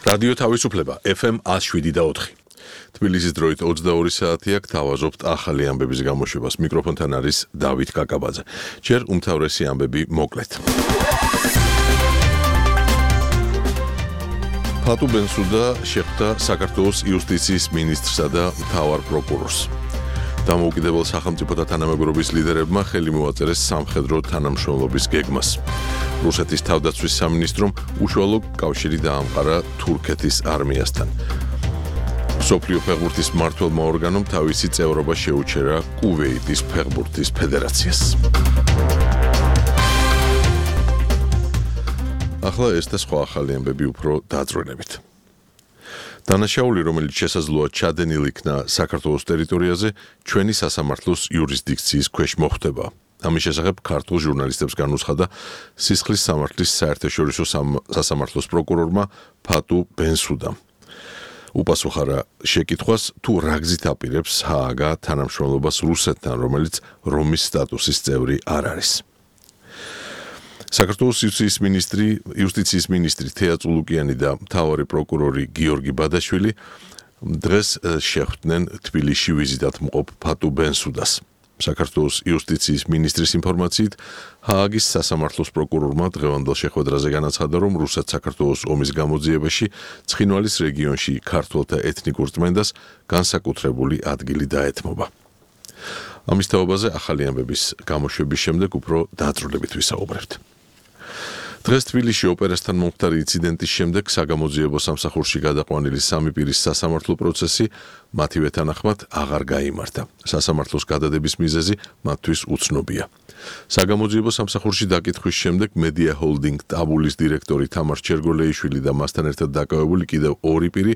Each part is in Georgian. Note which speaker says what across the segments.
Speaker 1: რადიო თავისუფლება FM 107.4. თბილისის დროით 22 საათია, გთავაზობთ ახალი ამბების გამოშვებას. მიკროფონთან არის დავით კაკაბაძე. ჯერ უმთავრესი ამბები მოკლედ. ფატუ ბენსუდა შეხვდა საქართველოს იუსტიციის მინისტრსა და მთავარ პროკურორს. დამოუკიდებელ სახელმწიფოთა თანამეგობრობის ლიდერებმა ხელი მოაწერეს სამხედრო თანამშრომლობის გეგმას. რუსეთის თავდაცვის სამინისტრომ უშუალო კავშირი დაამყარა თურქეთის არმიასთან. მსოფლიო ფეხბურთის მმართველმა ორგანომ თავისი წევრობა შეუჩერა კუვეიტის ფეხბურთის ფედერაციას. ახლა ეს და სხვა ახალი ამბები უფრო დაწვრილებით. დანაშაული, რომელიც შესაძლოა ჩადენილ იქნა საქართველოს ტერიტორიაზე, ჩვენი სასამართლოს იურისდიქციის ქვეშ მოხვდება. ამის შესახებ ქართულ ჟურნალისტებს განუცხადა სისხლის სამართლის საერთაშორისო სასამართლოს პროკურორმა ფატუ ბენსუდამ. უპასუხა შეკითხვას, თუ რა გზით აპირებს ჰააგა თანამშრომლობას რუსეთთან, რომელიც რომის სტატუსის წევრი არ არის. საქართველოს იუსტიციის მინისტრი თეა წულუკიანი და მთავარი პროკურორი გიორგი ბადაშვილი დღეს შეხვდნენ თბილისში ვიზიტად მყოფ ფატუ ბენსუდას. საქართველოს იუსტიციის მინისტრის ინფორმაციით, ჰააგის სასამართლოს პროკურორმა დღევანდელ შეხვედრაზე განაცხადა, რომ რუსეთ-საქართველოს ომის გამოძიებაში ცხინვალის რეგიონში ქართველთა ეთნიკურ წმენდას განსაკუთრებული ადგილი დაეთმობა. ამის თაობაზე ახალი ამბების გამოშვების შემდეგ უფრო დაწვრილებით ვისაუბრებთ. დღეს თბილისში ოპერასთან მომხდარი ინციდენტის შემდეგ საგამოძიებო სამსახურში გადაყვანილი სამი პირის სასამართლო პროცესი მათივე თანახმად აღარ გაიმართა. სასამართლოს გადადების მიზეზი მათთვის უცნობია. საგამოძიებო სამსახურში დაკითხვის შემდეგ მედია ჰოლდინგ ტაბულის დირექტორი თამარ ჩერგოლეიშვილი და მასთან ერთად დაკავებული კიდევ ორი პირი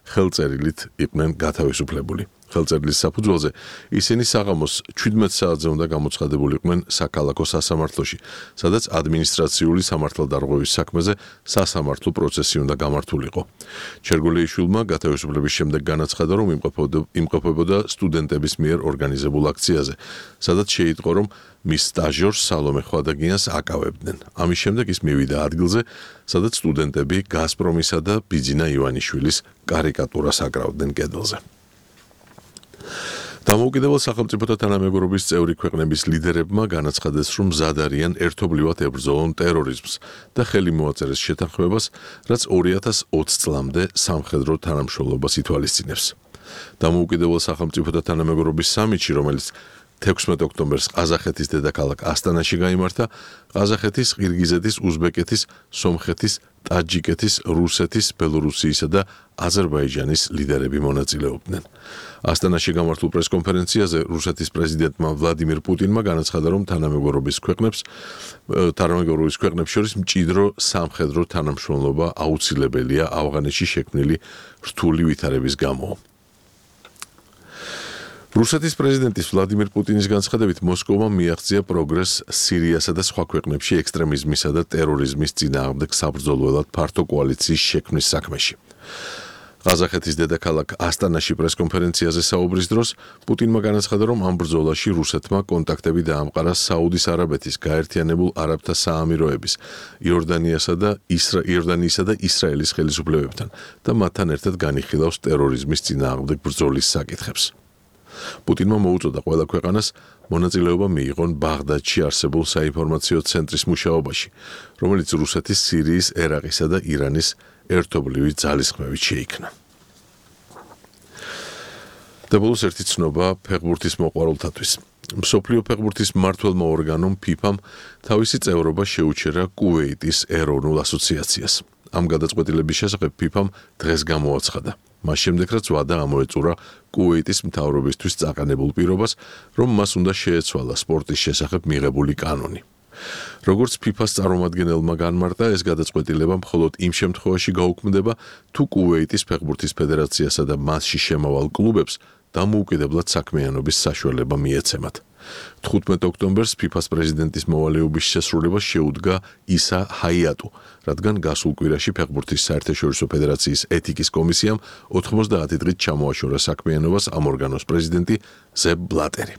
Speaker 1: ხელწერილით იყვნენ გათავისუფლებული. ხელწერილის საფუძველზე ისინი საღამოს 17 საათზე უნდა გამოცხადებულიყვნენ საქალაქო სასამართლოში, სადაც ადმინისტრაციული სამართალდარღვევის საქმეზე სასამართლო პროცესი უნდა გამართულიყო. ჩერგოლეიშვილმა გათავისუფლების შემდეგ განაცხადა, რომ იმყოფებოდა სტუდენტების მიერ ორგანიზებულ აქციაზე, სადაც შეიტყო, რომ მის სტაჟიორს სალომე ხვადაგიანს აკავებდნენ. ამის შემდეგ ის მივიდა ადგილზე, სადაც სტუდენტები გაზპრომისა და ბიძინა ივანიშვილის კარიკატურას აკრავდნენ კედელზე. დამოუკიდებელ სახელმწიფოთა თანამეგობრობის წევრი ქვეყნების ლიდერებმა განაცხადეს, რომ მზად არიან ერთობლივად ებრძოლონ ტერორიზმს და ხელი მოაწერეს შეთანხმებას, რაც 2020 წლამდე სამხედრო თანამშრომლობას ითვალისწინებს. დამოუკიდებელ სახელმწიფოთა თანამეგობრობის სამიტში, რომელიც 16 ოქტომბერს ყაზახეთის დედაქალაქ ასტანაში გაიმართა, ყაზახეთის, ყირგიზეთის, უზბეკეთის, სომხეთის, ტაჯიკეთის, რუსეთის, ბელორუსიისა და აზერბაიჯანის ლიდერები მონაწილეობდნენ. ასტანაში გამართულ პრესკონფერენციაზე რუსეთის პრეზიდენტმა ვლადიმირ პუტინმა განაცხადა, რომ თანამეგობრობის ქვეყნებს შორის მჭიდრო სამხედრო თანამშრომლობა აუცილებელია ავღანეთში შექმნილი რთული ვითარების გამო. რუსეთის პრეზიდენტის ვლადიმირ პუტინის განცხადებით, მოსკოვმა მიაღწია პროგრესს სირიასა და სხვა ქვეყნებში ექსტრემიზმისა და ტერორიზმის წინააღმდეგ საბრძოლველად ფართო კოალიციის შექმნის საქმეში. ყაზახეთის დედაქალაქ ასტანაში პრესკონფერენციაზე საუბრის დროს პუტინმა განაცხადა, რომ ამ ბრძოლაში რუსეთმა კონტაქტები დაამყარა საუდის არაბეთის, გაერთიანებულ არაბთა საამიროების, იორდანიისა და ისრაელის ხელისუფლებებთან და მათთან ერთად განიხილავს ტერორიზმის წინააღმდეგ ბრძოლის საკითხებს. პუტინმა მოუწოდა ყველა ქვეყანას მონაწილეობა მიიღონ ბაღდადში არსებულ საინფორმაციო ცენტრის მუშაობაში, რომელიც რუსეთის, სირიის, ერაყისა და ირანის ერთობლივი ძალისხმევით შეიქმნა. და ბოლოს ერთი ცნობა ფეხბურთის მოყვარულთათვის. მსოფლიო ფეხბურთის მმართველმა ორგანომ FIFA-მ თავისი წევრობა შეუჩერა კუვეიტის ეროვნულ ასოციაციას. ამ გადაწყვეტილების შესახებ FIFA-მ დღეს გამოაცხადა. მას შემდეგ, რაც ვადა ამოეწურა კუვეიტის მთავრობისთვის წაყენებულ პირობას, რომ მას უნდა შეეცვალა სპორტის შესახებ მიღებული კანონი. როგორც FIFA-ს წარმომადგენელმა განმარტა, ეს გადაწყვეტილება მხოლოდ იმ შემთხვევაში გაუქმდება, თუ კუვეიტის ფეხბურთის ფედერაციასა და მასში შემავალ კლუბებს დამოუკიდებლად საქმიანობის საშუალება მიეცემათ. 15 ოქტომბერს FIFA-ს პრეზიდენტის მოვალეობის შესრულებას შეუდგა ისა ჰაიატუ, რადგან გასულ კვირაში ფეხბურთის საერთაშორისო ფედერაციის ეთიკის კომისიამ 90 დღით ჩამოაშორა საქმიანობას ამ ორგანოს პრეზიდენტი ზებ ბლატერი.